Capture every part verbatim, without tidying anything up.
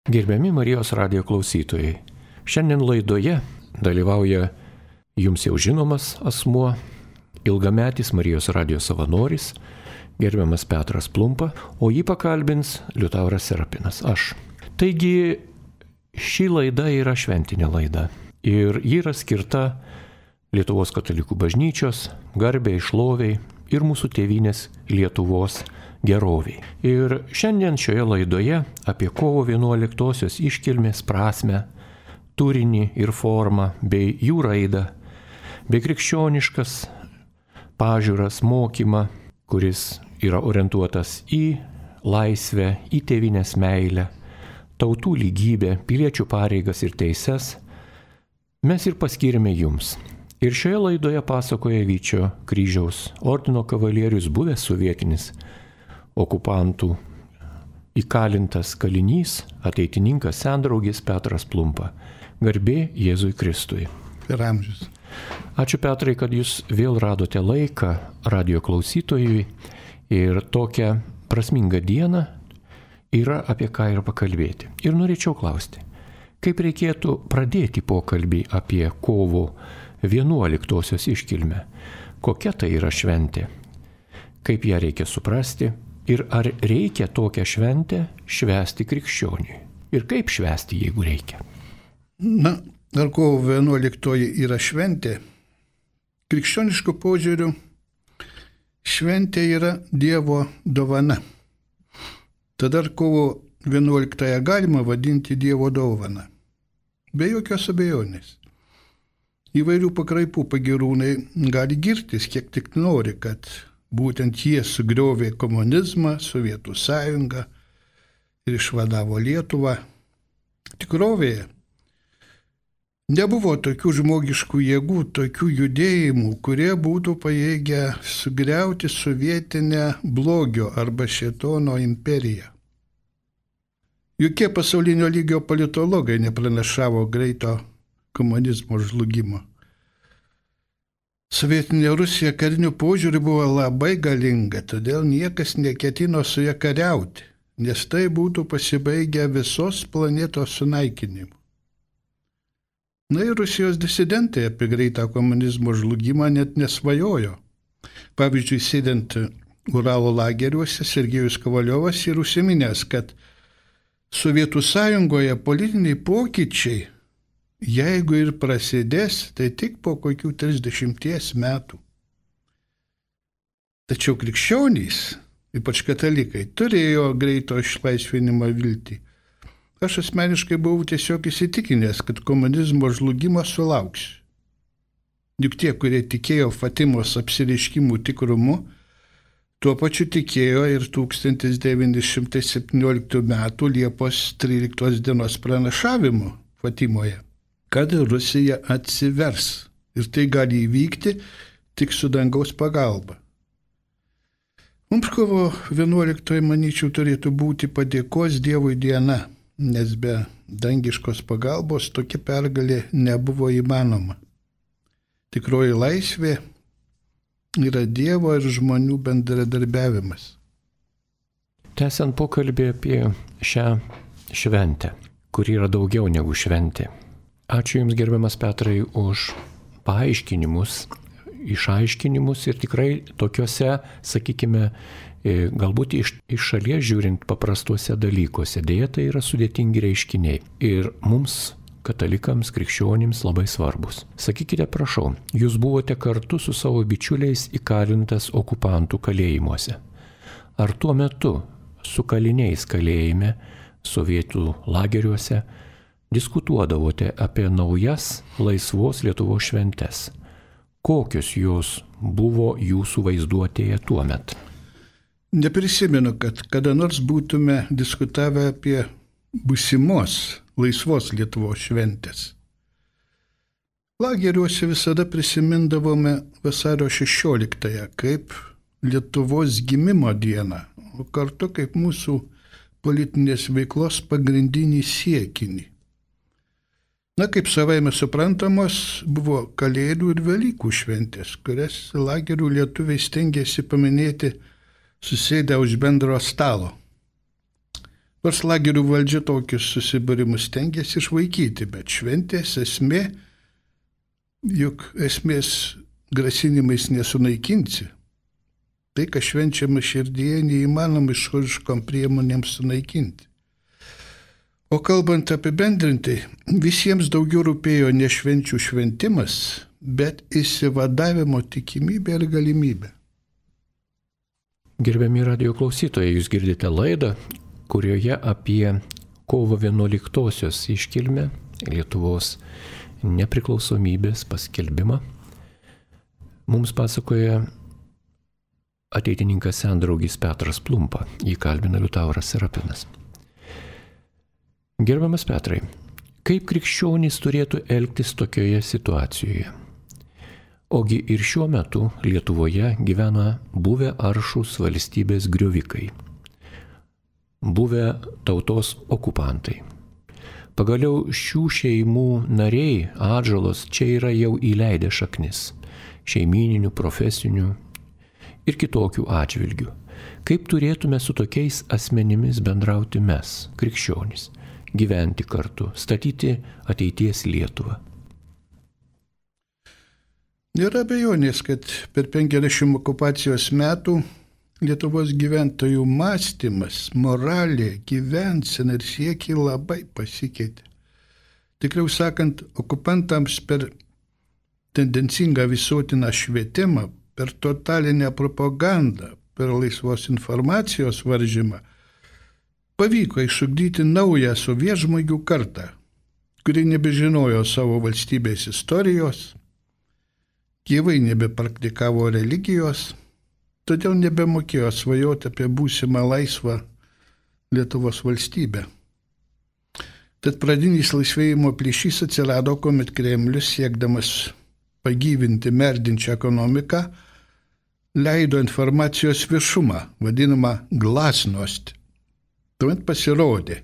Gerbiami Marijos radijo klausytojai, šiandien laidoje dalyvauja jums jau žinomas asmuo, ilgametis Marijos radijo savanoris, gerbiamas Petras Plumpa, o jį pakalbins Liutauras Serapinas, aš. Taigi, ši laida yra šventinė laida ir ji yra skirta Lietuvos katalikų bažnyčios garbei, šloviai ir mūsų tėvynės Lietuvos geroviai. Ir šiandien šioje laidoje apie kovo vienuoliktosios iškilmės prasmę, turinį ir formą bei jų raidą, bei krikščioniškas pažiūras, mokymą, kuris yra orientuotas į laisvę, į tėvynės meilę, tautų lygybę, piliečių pareigas ir teises, mes ir paskyrėme jums. Ir šioje laidoje pasakoja Vyčio kryžiaus ordino kavalierius, buvęs sovietinis okupantų įkalintas kalinys, ateitininkas, sendraugis Petras Plumpa. Garbė Jėzui Kristui. Per amžius. Ačiū, Petrai, kad jūs vėl radote laiką radijo klausytojui ir tokią prasmingą dieną yra apie ką ir pakalbėti. Ir norėčiau klausti, kaip reikėtų pradėti pokalbį apie kovo vienuoliktosios iškilmę? Kokia tai yra šventė? Kaip ją reikia suprasti? Ir ar reikia tokią šventę švęsti krikščioniui? Ir kaip švęsti, jeigu reikia? Na, ar kovo vienuoliktoji yra šventė? Krikščioniškų požiūrių šventė yra Dievo dovana. Tada ar kovo vienuoliktąją galima vadinti Dievo dovana? Be jokios abejonės. Įvairių pakraipų pagirūnai gali girtis, kiek tik nori, kad būtent jie sugriovė komunizmą, Sovietų sąjungą ir išvadavo Lietuvą. Tikrovėje nebuvo tokių žmogiškų jėgų, tokių judėjimų, kurie būtų pajėgę sugriauti sovietinę blogio arba šėtono imperiją. Jokie pasaulinio lygio politologai nepranašavo greito komunizmo žlugimo. Sovietinė Rusija kariniu požiūriu buvo labai galinga, todėl niekas neketino su ja kariauti, nes tai būtų pasibaigę visos planetos sunaikinimu. Na ir Rusijos disidentai apie greitą komunizmo žlugimą net nesvajojo. Pavyzdžiui, sėdint Uralo lageriuose, Sergejus Kovaliovas yra užsiminęs, kad Sovietų sąjungoje politiniai pokyčiai, jeigu ir prasidės, tai tik po kokių trisdešimties metų. Tačiau krikščionys, ypač katalikai, turėjo greito išlaisvinimo viltį. Aš asmeniškai buvau tiesiog įsitikinęs, kad komunizmo žlugimas sulauks. Juk tie, kurie tikėjo Fatimos apsireiškimų tikrumu, tuo pačiu tikėjo ir tūkstantis devyni šimtai septynioliktų metų Liepos tryliktos dienos pranašavimu Fatimoje, kad Rusija atsivers ir tai gali įvykti tik su dangaus pagalba. Mums kovo vienuoliktoji, manyčiau, turėtų būti padėkos Dievui diena, nes be dangiškos pagalbos tokia pergalė nebuvo įmanoma. Tikroji laisvė yra Dievo ir žmonių bendradarbiavimas. Tęsiant pokalbį apie šią šventę, kuri yra daugiau negu šventė. Ačiū Jums, gerbiamas Petrai, už paaiškinimus, išaiškinimus ir tikrai tokiuose, sakykime, galbūt iš, iš šalies žiūrint paprastuose dalykuose. Deja, tai yra sudėtingi reiškiniai ir mums, katalikams, krikščionims labai svarbus. Sakykite, prašau, Jūs buvote kartu su savo bičiuliais įkalintas okupantų kalėjimuose. Ar tuo metu su kaliniais kalėjime, sovietų lageriuose, diskutuodavote apie naujas laisvos Lietuvos šventes? Kokios jos buvo jūsų vaizduotėje tuo metu? Neprisimenu, kad kada nors būtume diskutavę apie būsimos laisvos Lietuvos šventės. Lageriuose visada prisimindavome vasario šešioliktąją kaip Lietuvos gimimo dieną, o kartu kaip mūsų politinės veiklos pagrindinį siekinį. Na, kaip savaime suprantamos, buvo Kalėdų ir Velykų šventės, kurias lagerių lietuviai stengėsi paminėti susėdę už bendro stalo. Nors lagerių valdžia tokius susibūrimus stengiasi išvaikyti, bet šventės esmė, juk esmės grasinimais nesunaikinsi. Tai, kas švenčiama širdyje, neįmanoma išoriškom priemonėms sunaikinti. O kalbant apibendrintai, visiems daugiau rūpėjo ne švenčių šventimas, bet išsivadavimo tikimybė ir galimybė. Gerbiami radijo klausytojai, jūs girdite laidą, kurioje apie kovo vienuoliktosios iškilmę, Lietuvos nepriklausomybės paskelbimą, mums pasakoja ateitininkas sendraugis Petras Plumpa, jį kalbina Liutauras Serapinas. Gerbiamas Petrai, kaip krikščionys turėtų elgtis tokioje situacijoje? Ogi ir šiuo metu Lietuvoje gyvena buvę aršūs valstybės griovikai, buvę tautos okupantai. Pagaliau šių šeimų nariai atžalos čia yra jau įleidę šaknis, šeimyninių, profesinių ir kitokių atžvilgių. Kaip turėtume su tokiais asmenimis bendrauti mes, krikščionys, gyventi kartu, statyti ateities Lietuvą? Nėra abejonės, kad per penkiasdešimt okupacijos metų Lietuvos gyventojų mąstymas, moralė, gyvensena ir siekiai labai pasikeitė. Tikriau sakant, okupantams per tendencingą visuotiną švietimą, per totalinę propagandą, per laisvos informacijos varžymą pavyko išugdyti naują sovietžmogių kartą, kuri nebežinojo savo valstybės istorijos, gyvai nebepraktikavo religijos, todėl nebemokėjo svajoti apie būsimą laisvą Lietuvos valstybę. Tad pradinis laisvėjimo plyšys atsirado, kuomet Kremlius, siekdamas pagyvinti merdinčią ekonomiką, leido informacijos viešumą, vadinamą glasnost. Tuomet pasirodė,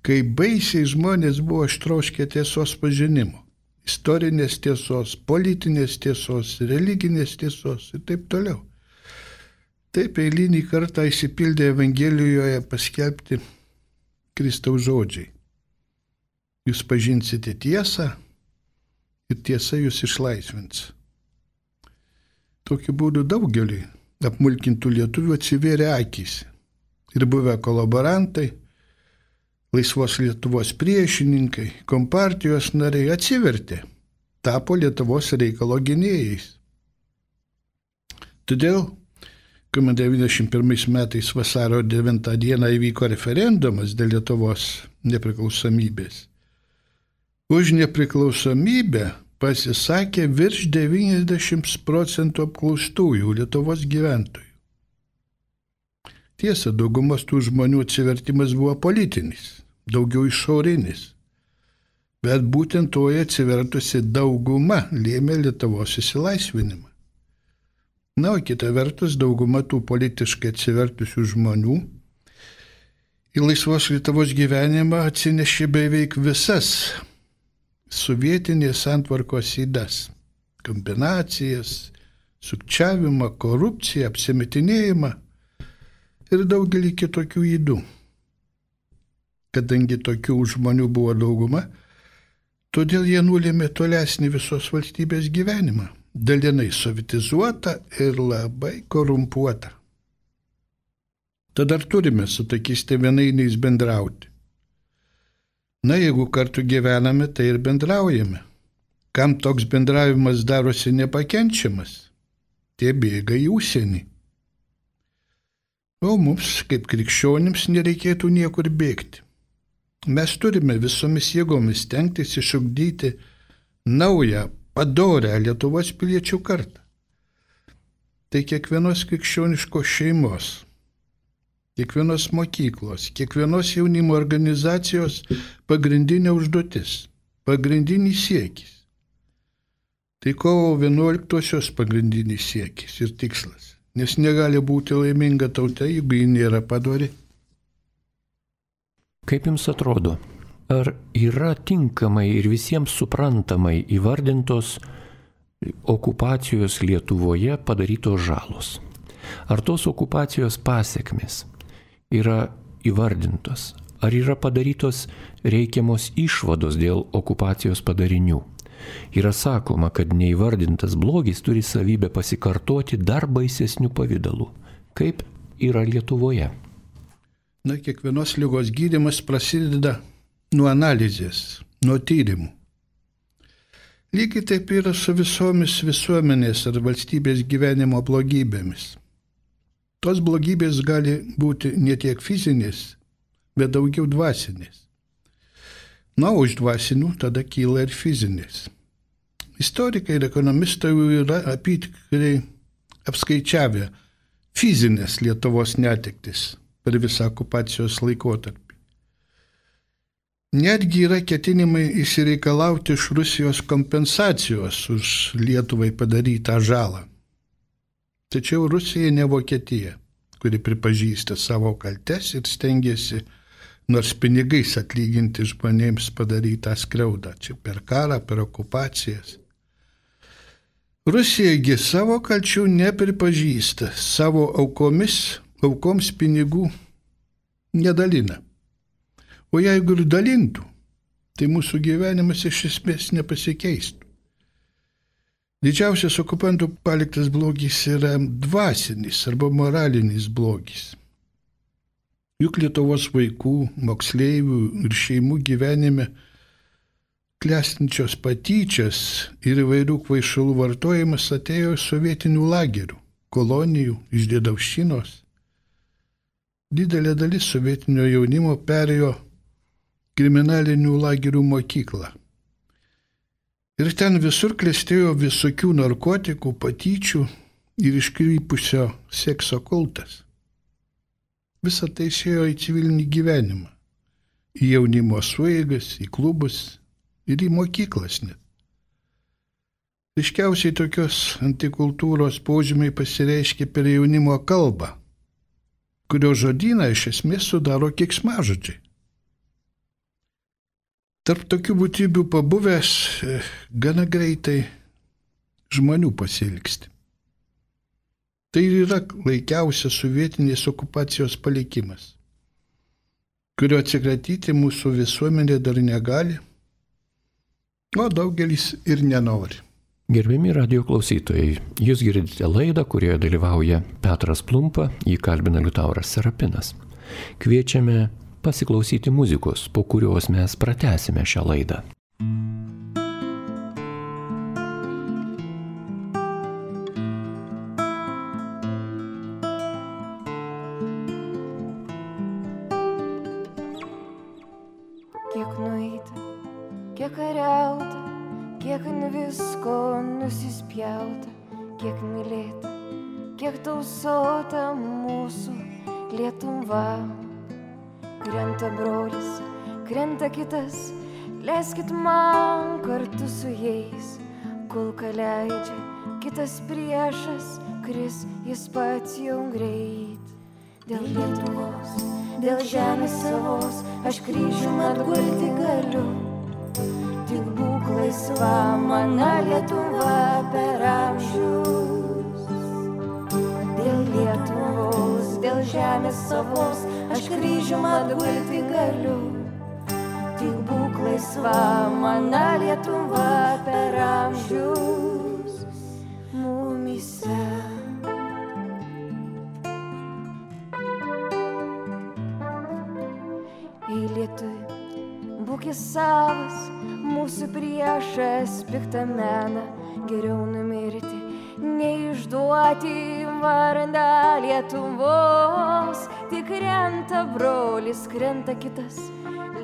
kaip baisiai žmonės buvo ištroškę tiesos pažinimo, istorinės tiesos, politinės tiesos, religinės tiesos ir taip toliau. Taip eilinį kartą įsipildė Evangelijoje paskelbti Kristaus žodžiai. Jūs pažinsite tiesą ir tiesa jūs išlaisvins. Tokiu būdu daugeliui apmulkintų lietuvių atsivėrė akys. Ir buvę kolaborantai, laisvos Lietuvos priešininkai, kompartijos nariai atsivertė, tapo Lietuvos reikalo gynėjais. Todėl, kuomet devyniasdešimt pirmais metais vasario devintą dieną įvyko referendumas dėl Lietuvos nepriklausomybės, už nepriklausomybę pasisakė virš devyniasdešimt procentų apklaustųjų Lietuvos gyventojų. Tiesa, daugumos tų žmonių atsivertimas buvo politinis, daugiau išorinis, bet būtent toje atsivertusi dauguma lėmė Lietuvos išsilaisvinimą. Na, o kita vertus, dauguma tų politiškai atsivertusių žmonių į laisvos Lietuvos gyvenimą atsinešė beveik visas sovietinės santvarkos ydas, kombinacijas, sukčiavimą, korupciją, apsimetinėjimą ir daugelį kitokių ydų. Kadangi tokių žmonių buvo dauguma, todėl jie nulėmė tolesnį visos valstybės gyvenimą, dalinai sovietizuotą ir labai korumpuotą. Tad ar turime su tokiais tėvynainiais bendrauti? Na, jeigu kartu gyvename, tai ir bendraujame. Kam toks bendravimas darosi nepakenčiamas? Tie bėga į užsienį. O mums, kaip krikščionims, nereikėtų niekur bėgti. Mes turime visomis jėgomis stengtis išugdyti naują, padorią Lietuvos piliečių kartą. Tai kiekvienos krikščioniškos šeimos, kiekvienos mokyklos, kiekvienos jaunimo organizacijos pagrindinė užduotis, pagrindinis siekis. Tai kovo vienuoliktosios pagrindinis siekis ir tikslas. Nes negali būti laiminga tauta, jeigu ji nėra padori. Kaip jums atrodo, ar yra tinkamai ir visiems suprantamai įvardintos okupacijos Lietuvoje padarytos žalos? Ar tos okupacijos pasekmės yra įvardintos? Ar yra padarytos reikiamos išvados dėl okupacijos padarinių? Yra sakoma, kad neįvardintas blogis turi savybę pasikartoti dar baisesnių pavydalų. Kaip yra Lietuvoje? Na, kiekvienos ligos gydymas prasideda nuo analizės, nuo tyrimų. Lygiai taip yra su visomis visuomenės ar valstybės gyvenimo blogybėmis. Tos blogybės gali būti ne tiek fizinės, bet daugiau dvasinės. Na, už dvasinių tada kyla ir fizinės. Istorikai ir ekonomistai yra apytikriai apskaičiavę fizinės Lietuvos netektis per visą okupacijos laikotarpį. Netgi yra ketinimai išsireikalauti iš Rusijos kompensacijos už Lietuvai padarytą žalą. Tačiau Rusija ne Vokietija, kuri pripažįsta savo kaltes ir stengiasi nors pinigais atlyginti žmonėms padarytą skriaudą, čia per karą, per okupacijas. Rusijagi savo kalčių nepripažįsta, savo aukomis, aukoms pinigų nedalina. O jeigu ir dalintų, tai mūsų gyvenimas iš esmės nepasikeistų. Didžiausias okupantų paliktas blogis yra dvasinis arba moralinis blogis. Juk Lietuvos vaikų, moksleivių ir šeimų gyvenime klestinčios patyčios ir įvairių kvaišalų vartojimas atėjo iš sovietinių lagerių, kolonijų, iš Dėdavščinos. Didelė dalis sovietinio jaunimo perėjo kriminalinių lagerių mokyklą. Ir ten visur klestėjo visokių narkotikų, patyčių ir iškrypusio sekso kultas. Visą tai išėjo į civilinį gyvenimą, į jaunimo sueigas, į klubus ir į mokyklas net. Ryškiausiai tokios antikultūros požymiai pasireiškia per jaunimo kalbą, kurio žodyną iš esmės sudaro keiksmažodžiai. Tarp tokių būtybių pabuvęs gana greitai žmonių pasiilgsti. Tai yra laikiausias sovietinės okupacijos palikimas, kurio atsikratyti mūsų visuomenė dar negali, o daugelis ir nenori. Gerbiami radijo klausytojai, jūs girdite laidą, kurioje dalyvauja Petras Plumpa, jį kalbina Liutauras Serapinas. Kviečiame pasiklausyti muzikos, po kurios mes pratęsime šią laidą. Kiek nueita, kiek kariauta, kiek ant visko nusispjauta, kiek mylėta, kiek tausota mūsų Lietuva. Krenta brolis, krenta kitas, leiskit man kartu su jais. Kulka leidžia, kitas priešas, kris jis pats jau greit. Dėl Lietuvos, dėl žemės savos, aš kryžium atgulti galiu. Tik būk laisva, mana Lietuva per amžius. Dėl Lietuvos, dėl žemės savos, aš kryžium atgulti galiu. Tik būk laisva, mana Lietuva per amžius mumyse. Ei Lietuvi, būk jis savas, mūsų priešas piktą meną, geriau numirti, neišduoti vardą Lietuvos. Tik krenta brolis, krenta kitas,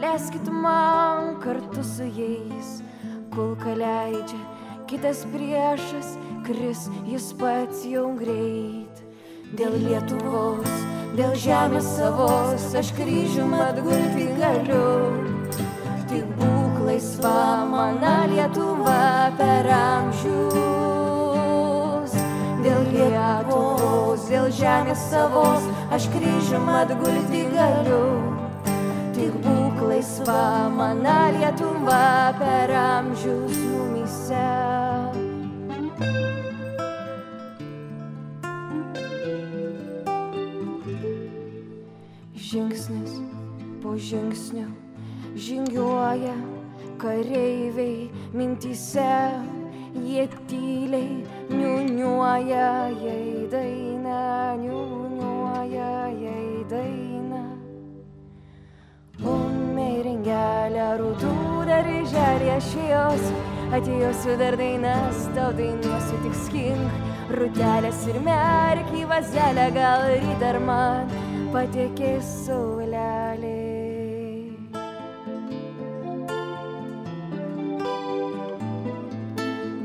leiskit man kartu su jais. Kulka leidžia, kitas priešas, kris jis pats jau greit. Dėl Lietuvos, dėl žemės savos, aš kryžium atgulti galiu. Tik būk laisva, mana Lietuva per amžius. Dėl Lietuvos, dėl žemės savos, aš kryžium atgulti galiu. Tik būk laisva, mana Lietuva per amžius mumyse. Žingsnis po žingsnių žingiuoja kareiviai mintyse, jie tyliai niuniuoja jai dainą, niuniuoja jai dainą. O meiringelė rūtų darželį aš jos, atėjosiu dar dainas, tau dainuosiu tik skink, rūtelės ir merk į vazelę, gal ryt dar man patekės saulelė.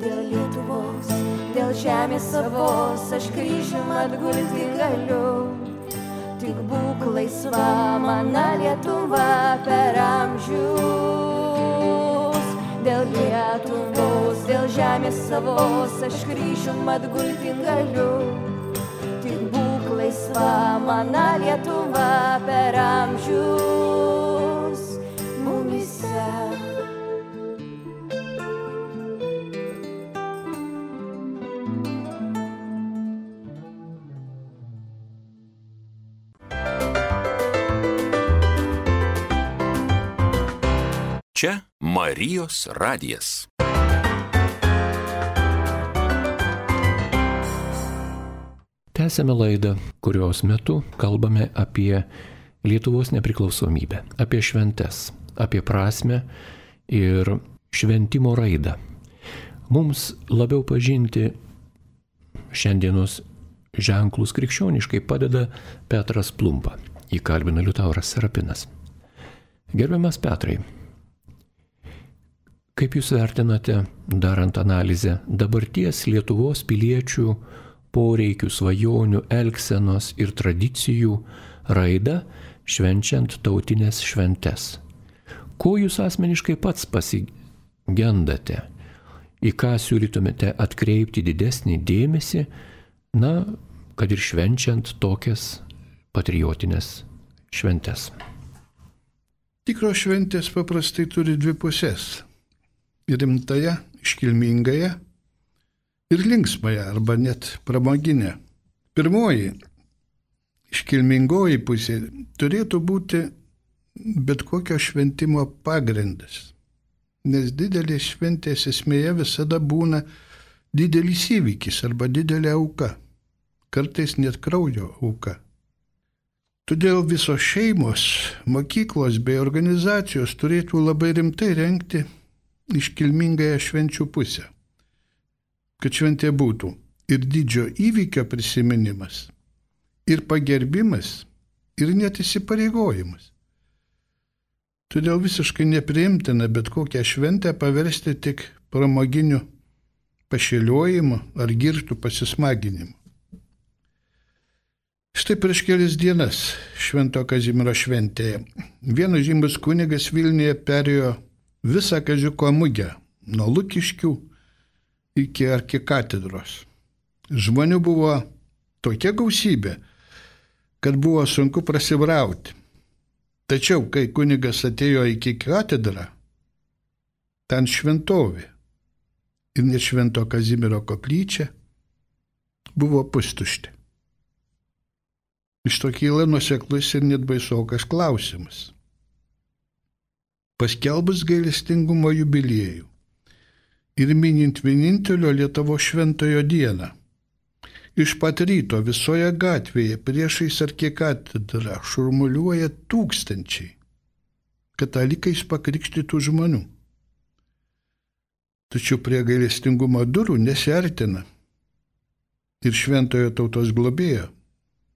Dėl Lietuvos, dėl žemės savos, aš kryžium atgulti galiu. Tik būk laisva, mana Lietuva per amžius. Dėl Lietuvos, dėl žemės savos, aš kryžium atgulti galiu. Tik būk laisva, mana Lietuva per amžius mumyse. Čia Marijos radijas. Tęsėme laidą, kurios metu kalbame apie Lietuvos nepriklausomybę, apie šventes, apie prasmę ir šventimo raidą. Mums labiau pažinti šiandienos ženklus krikščioniškai padeda Petras Plumpa. Jį kalbina Liutauras Serapinas. Gerbiamas Petrai, kaip jūs vertinate, darant analizę, dabarties Lietuvos piliečių poreikių, svajonių, elgsenos ir tradicijų raidą švenčiant tautinės šventes? Ko jūs asmeniškai pats pasigendate? Į ką siūlytumėte atkreipti didesnį dėmesį, na, kad ir švenčiant tokias patriotinės šventes? Tikros šventės paprastai turi dvi pusės. Rimtąją, iškilmingąją ir linksmąją arba net pramoginę. Pirmoji, iškilmingoji pusė turėtų būti bet kokio šventimo pagrindas, nes didelės šventės esmėje visada būna didelis įvykis arba didelė auka, kartais net kraujo auka. Todėl visos šeimos, mokyklos bei organizacijos turėtų labai rimtai rengti iškilmingąją švenčių pusę, kad šventė būtų ir didžio įvykio prisiminimas, ir pagerbimas, ir net įsipareigojimas. Todėl visiškai nepriimtina bet kokią šventę paversti tik pramoginiu pašėliojimu ar girtų pasismaginimu. Štai prieš kelias dienas Švento Kazimiero šventėje vienas žymus kunigas Vilniuje perėjo visą Kaziuko mugę, nuo Lukiškių iki arkikatedros. Žmonių buvo tokia gausybė, kad buvo sunku prasibrauti. Tačiau, kai kunigas atėjo iki katedrą, ten šventovė ir net Švento Kazimiero koplyčia buvo pustuštė. Iš to kyla nuoseklus ir net baisokas klausimas. Paskelbus gailestingumo jubiliejų ir minint vienintelio Lietuvos šventojo dieną, iš pat ryto visoje gatvėje priešais arkikatedrą šurmuliuoja tūkstančiai katalikais pakrikštytų žmonių. Tačiau prie gailestingumo durų nesiartina ir šventojo tautos globėjo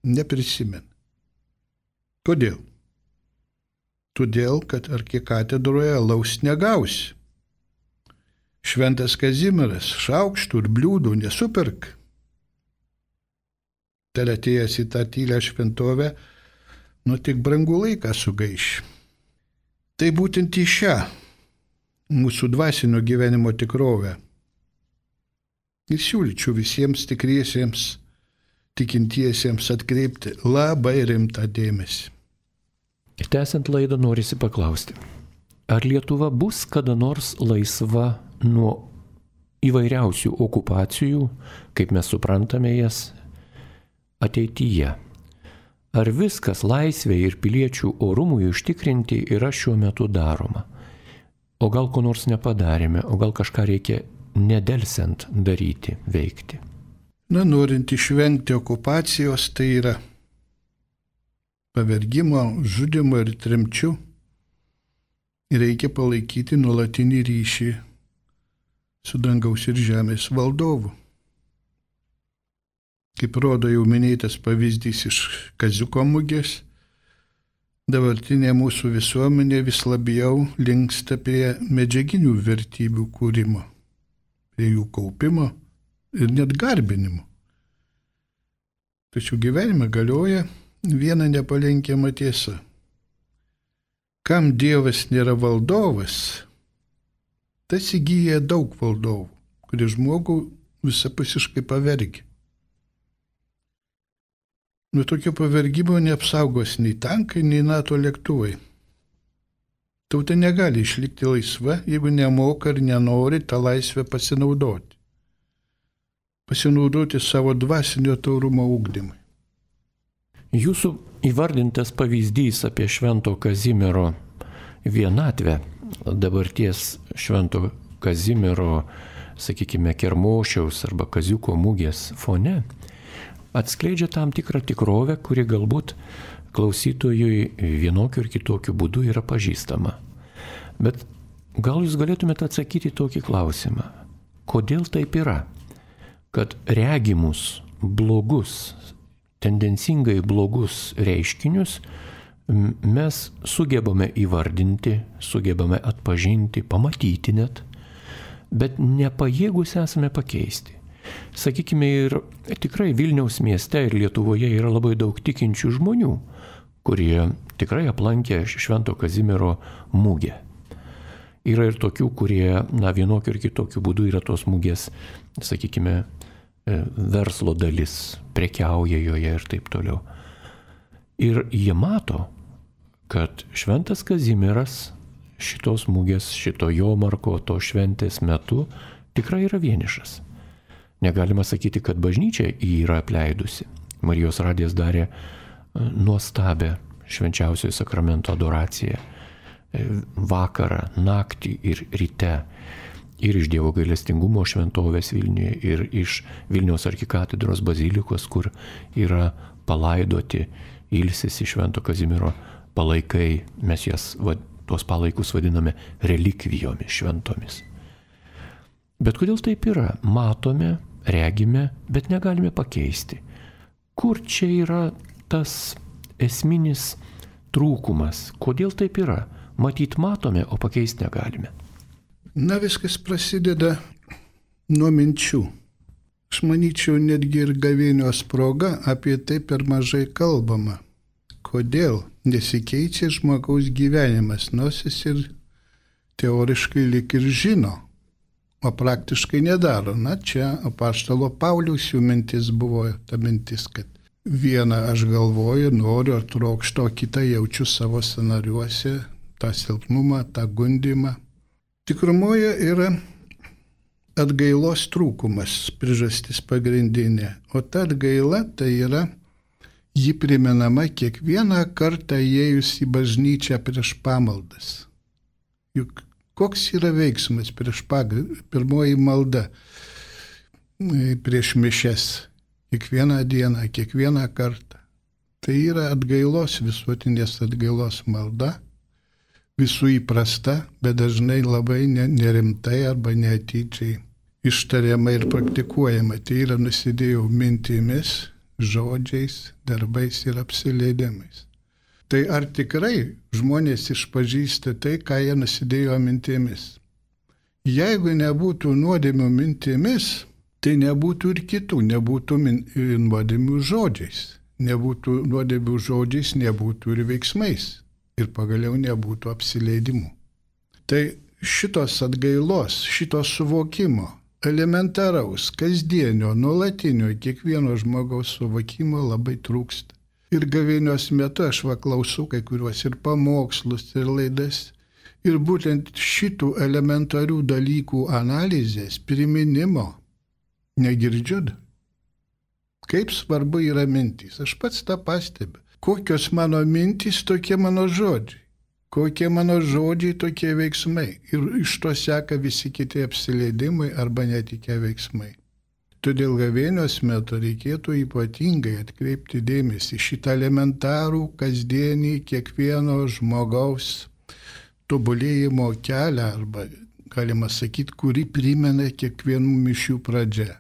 neprisimena. Kodėl? Todėl, kad arkikatedroje alaus negausi. Šventas Kazimieras šaukštų ir bliūdų nesupirk. Tad atėjęs į tą tylę šventovę, nu tik brangų laiką sugaiši. Tai būtent į šią mūsų dvasinio gyvenimo tikrovę ir siūlyčiau visiems tikriesiems, tikintiesiems atkreipti labai rimtą dėmesį. Ir tęsiant laidą norisi paklausti, ar Lietuva bus kada nors laisva nuo įvairiausių okupacijų, kaip mes suprantame jas, ateityje? ar viskas laisvė ir piliečių orumui užtikrinti yra šiuo metu daroma? O gal ko nors nepadarėme, o gal kažką reikia nedelsiant daryti, veikti? Na, norint išvengti okupacijos, tai yra pavergimo, žudimo ir tremčių, reikia palaikyti nuolatinį ryšį su dangaus ir žemės valdovu. Kaip rodo jau minėtas pavyzdys iš Kaziuko mugės, dabartinė mūsų visuomenė vis labiau linksta prie medžiaginių vertybių kūrimo, prie jų kaupimo ir net garbinimo. Tačiau gyvenime galioja viena nepalenkiama tiesa. Kam Dievas nėra valdovas, tas įgyja daug valdovų, kurie žmogų visapusiškai pavergia. Nuo tokio pavergimo neapsaugos nei tankai, nei NATO lėktuvai. Tauta negali išlikti laisva, jeigu nemoka ir nenori tą laisvę pasinaudoti. Pasinaudoti savo dvasinio taurumo ugdymui. Jūsų įvardintas pavyzdys apie Švento Kazimiero vienatvę, dabarties Švento Kazimiero, sakykime, Kermošiaus arba Kaziuko mugės fone, atskleidžia tam tikrą tikrovę, kuri galbūt klausytojui vienokiu ir kitokiu būdu yra pažįstama. Bet gal jūs galėtumėte atsakyti tokį klausimą. Kodėl taip yra, kad regimus blogus, tendencingai blogus reiškinius mes sugebame įvardinti, sugebame atpažinti, pamatyti net, bet nepajėgus esame pakeisti. Sakykime, ir tikrai Vilniaus mieste ir Lietuvoje yra labai daug tikinčių žmonių, kurie tikrai aplankė Švento Kazimiero mugę. Yra ir tokių, kurie, na, vienokiu ir kitokiu būdu yra tos mugės, sakykime, verslo dalis, prekiauja joje ir taip toliau. Ir jie mato, kad Šventas Kazimieras šitos mugės, šito jomarko, to šventės metu tikrai yra vienišas. Negalima sakyti, kad bažnyčia jį yra apleidusi. Marijos radijas darė nuostabę švenčiausiojo sakramento adoraciją vakarą, naktį ir ryte. Ir iš Dievo gailestingumo šventovės Vilniuje, ir iš Vilniaus arkikatedros bazilikos, kur yra palaidoti, ilsisi Švento Kazimiero palaikai. Mes jas, va, tuos palaikus vadiname relikvijomis šventomis. Bet kodėl taip yra? Matome, regime, bet negalime pakeisti. Kur čia yra tas esminis trūkumas? Kodėl taip yra? Matyt matome, o pakeisti negalime. Na, viskas prasideda nuo minčių. Aš manyčiau, netgi ir gavėnios proga apie tai per mažai kalbama. Kodėl nesikeičia žmogaus gyvenimas, nors jis ir teoriškai lyg ir žino, o praktiškai nedaro. Na, čia apaštalo Pauliaus jų mintis buvo ta mintis, kad vieną aš galvoju, noriu ar trokštu, o kitą jaučiu savo scenariuose, tą silpnumą, tą gundimą. Tikrumoje yra atgailos trūkumas, priežastis pagrindinė, o ta atgaila tai yra ji primenama kiekvieną kartą įėjus į bažnyčią prieš pamaldas. Juk koks yra veiksmas prieš pagalbą, pirmoji malda prieš mišias, kiekvieną dieną, kiekvieną kartą. Tai yra atgailos, visuotinės atgailos malda, visų įprasta, bet dažnai labai nerimtai arba neatidžiai ištariama ir praktikuojama. Tai yra nusidėjau mintimis, žodžiais, darbais ir apsileidimais. Tai ar tikrai žmonės išpažįsta tai, ką jie nusidėjo mintimis? Jeigu nebūtų nuodėmių mintimis, tai nebūtų ir kitų, nebūtų min, nuodėmių žodžiais. Nebūtų nuodėmių žodžiais, nebūtų ir veiksmais. Ir pagaliau nebūtų apsileidimų. Tai šitos atgailos, šitos suvokimo, elementaraus, kasdienio, nuolatinio, kiekvieno žmogaus suvokimo labai trūksta. Ir gavėnios metu aš va klausau kai kuriuos ir pamokslus, ir laidas. Ir būtent šitų elementarių dalykų analizės, priminimo negirdžiu. Kaip svarbu yra mintys. Aš pats tą pastebiu. kokios mano mintys, tokie mano žodžiai. Kokie mano žodžiai, tokie veiksmai. Ir iš to seka visi kiti apsileidimai arba netikę veiksmai. Todėl gavėnios metu reikėtų ypatingai atkreipti dėmesį šitą elementarų, kasdienį, kiekvieno žmogaus tobulėjimo kelią, arba galima sakyti, kurį primena kiekvienų mišių pradžia.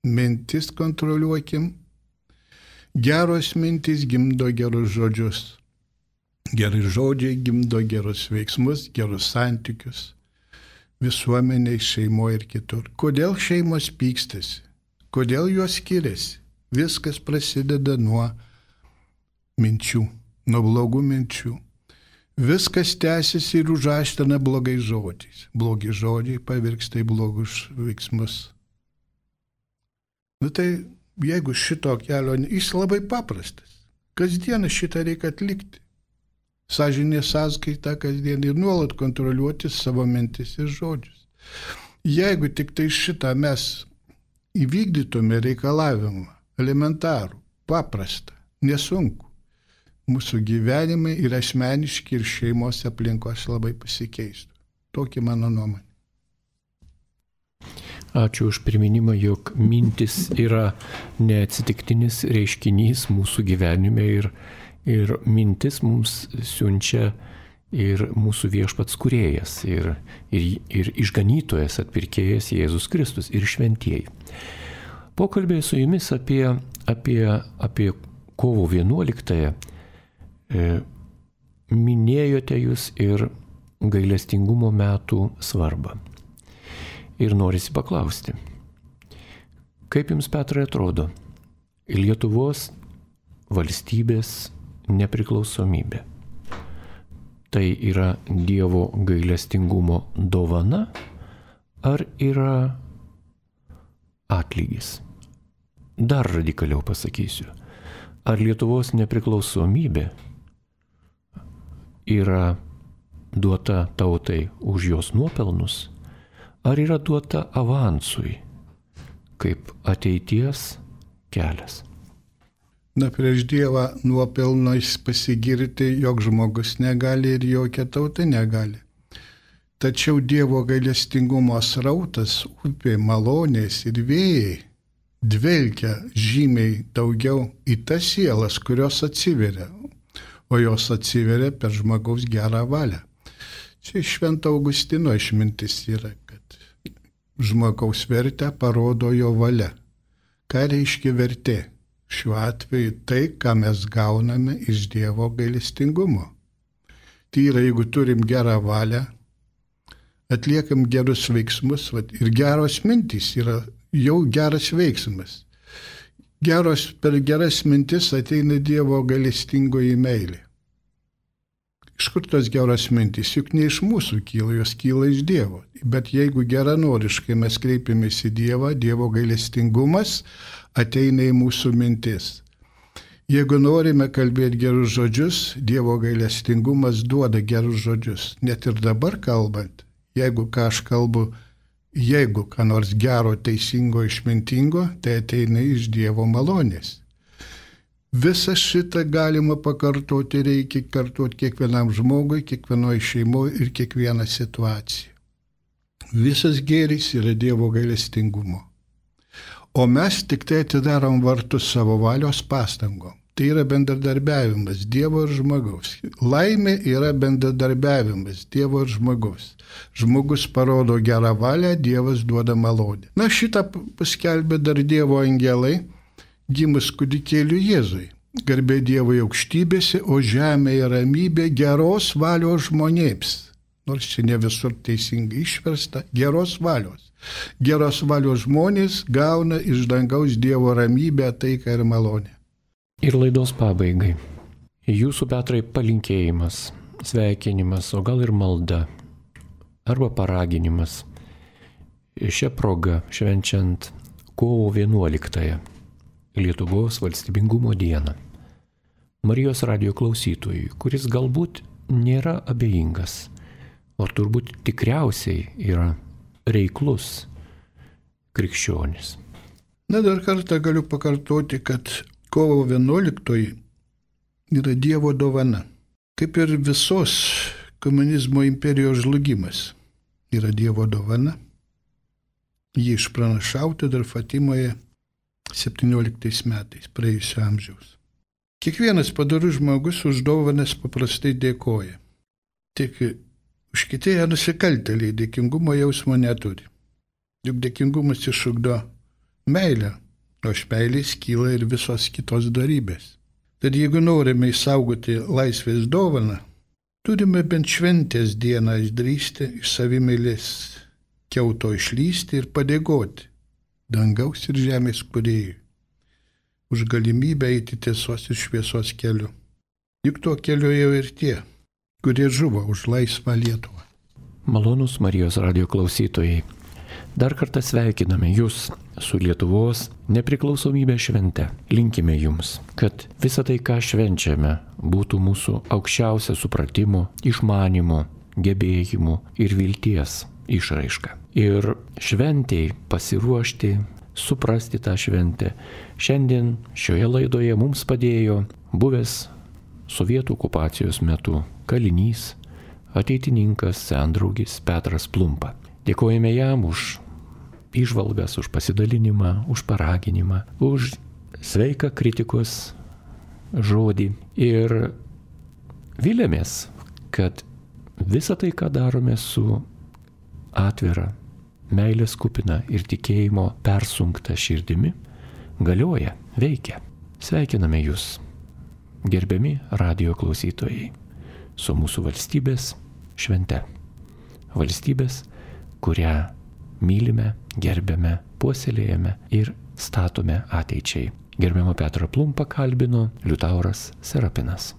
Mintis kontroliuokim. Geros mintis gimdo gerus žodžius. Gerai žodžiai gimdo gerus veiksmus, gerus santykius. Visuomeniai, šeimoje ir kitur. Kodėl šeimos pykstasi? Kodėl jos skiriasi? Viskas prasideda nuo minčių, nuo blogų minčių. Viskas tęsiasi ir užaština blogais žodžiais. Blogi žodžiai pavirksta į blogus veiksmus. Nu tai, jeigu šito kelio, jis labai paprastas. Kasdieną šitą reikia atlikti. Sąžinės sąskaitą kasdien ir nuolat kontroliuoti savo mintis ir žodžius. Jeigu tik tai šitą mes įvykdytume reikalavimą, elementarų, paprastą, nesunku, mūsų gyvenimai ir asmeniški ir šeimos aplinkos labai pasikeistų. Tokia mano nuomonė. Ačiū už priminimą, jog mintis yra neatsitiktinis reiškinys mūsų gyvenime ir Ir mintis mums siunčia ir mūsų viešpats kūrėjas, ir, ir, ir išganytojas, atpirkėjas Jėzus Kristus, ir šventieji. Pokalbėje su jumis apie, apie, apie kovo vienuoliktąją e, minėjote jūs ir gailestingumo metų svarbą. Ir norisi paklausti, kaip jums, Petrai, atrodo Lietuvos valstybės nepriklausomybė? Tai yra Dievo gailestingumo dovana ar yra atlygis? Dar radikaliau pasakysiu. Ar Lietuvos nepriklausomybė yra duota tautai už jos nuopelnus, ar yra duota avansui kaip ateities kelias? Na, prieš Dievą nuopelnais pasigirti jog žmogus negali ir jokia tauta negali. Tačiau Dievo gailestingumo srautas, upė, malonės ir vėjai dvelkia žymiai daugiau į tas sielas, kurios atsiveria, o jos atsiveria per žmogaus gerą valią. Čia Švento Augustino išmintis yra, kad žmogaus vertę parodo jo valia. Ką reiškia vertė? Šiuo atveju tai, ką mes gauname iš Dievo gailestingumo. Tai yra, jeigu turim gerą valią, atliekam gerus veiksmus, ir geros mintys yra jau geras veiksmas. Geros, per geras mintis ateina Dievo gailestingoji meilė. Iš kur tos geros mintys? Juk ne iš mūsų kyla, jos kyla iš Dievo. Bet jeigu geranoriškai mes kreipiamės į Dievą, Dievo gailestingumas ateina į mūsų mintis. Jeigu norime kalbėti gerus žodžius, Dievo gailestingumas duoda gerus žodžius. Net ir dabar kalbant, jeigu ką aš kalbu, jeigu ką nors gero, teisingo, išmintingo, tai ateina iš Dievo malonės. Visą šitą galima pakartoti, reikia kartoti kiekvienam žmogui, kiekvienoje šeimoje ir kiekvieną situaciją. Visas gėris yra Dievo gailestingumo. O mes tik tai atidarom vartus savo valios pastangom. Tai yra bendradarbiavimas Dievo ir žmogaus. Laimė yra bendradarbiavimas Dievo ir žmogaus. Žmogus parodo gerą valią, Dievas duoda malonę. Na, šitą paskelbė dar Dievo angelai, gimus kūdikėliui Jėzui. Garbė Dievui aukštybėse, o žemėje ramybė geros valios žmonėms. Nors čia ne visur teisingai išversta, geros valios. Geros valios žmonės gauna iš dangaus Dievo ramybę, taiką ir malonę. Ir laidos pabaigai. Jūsų, Petrai, palinkėjimas, sveikinimas, o gal ir malda, arba paraginimas. Šią progą švenčiant kovo vienuoliktąją, Lietuvos valstybingumo dieną. Marijos radijo klausytojui, kuris galbūt nėra abejingas, o turbūt tikriausiai yra reiklus krikščionis. Na, dar kartą galiu pakartoti, kad kovo vienuoliktoji yra Dievo dovana. Kaip ir visos komunizmo imperijos žlugimas yra Dievo dovana. Jį išpranašauta dar Fatimoje septynioliktais metais praėjusio amžiaus. Kiekvienas padorus žmogus už dovanas paprastai dėkoja. Tik už kitėję nusikaltėliai dėkingumo jausmo neturi. Juk dėkingumas išugdo meilę, o iš meilės kyla ir visos kitos darybės. Tad jeigu norime išsaugoti laisvės dovaną, turime bent šventės dieną išdrįsti iš savimeilės kiauto išlysti ir padėkoti dangaus ir žemės kūrėjui už galimybę eiti tiesos ir šviesos keliu. Juk tuo keliu jau ir tie, kurie žuvo už laisvą Lietuvą. Malonūs Marijos radijo klausytojai, dar kartą sveikiname Jūs su Lietuvos nepriklausomybės švente. Linkime Jums, kad visa tai, ką švenčiame, būtų mūsų aukščiausia supratimo, išmanimo, gebėjimų ir vilties išraiška. Ir šventėjai pasiruošti, suprasti tą šventę. Šiandien šioje laidoje mums padėjo buvęs sovietų okupacijos metu kalinys, ateitininkas, sendraugis Petras Plumpa. Dėkojame jam už įžvalgas, už pasidalinimą, už paraginimą, už sveiką kritikos žodį. Ir vilėmės, kad visą tai, ką darome su atvira, meilės kupina ir tikėjimo persunkta širdimi, galioja, veikia. Sveikiname Jūs, gerbiami radijo klausytojai, su mūsų valstybės švente. Valstybės, kurią mylime, gerbiame, puoselėjame ir statome ateičiai. Gerbiamą Petrą Plumpą kalbino Liutauras Serapinas.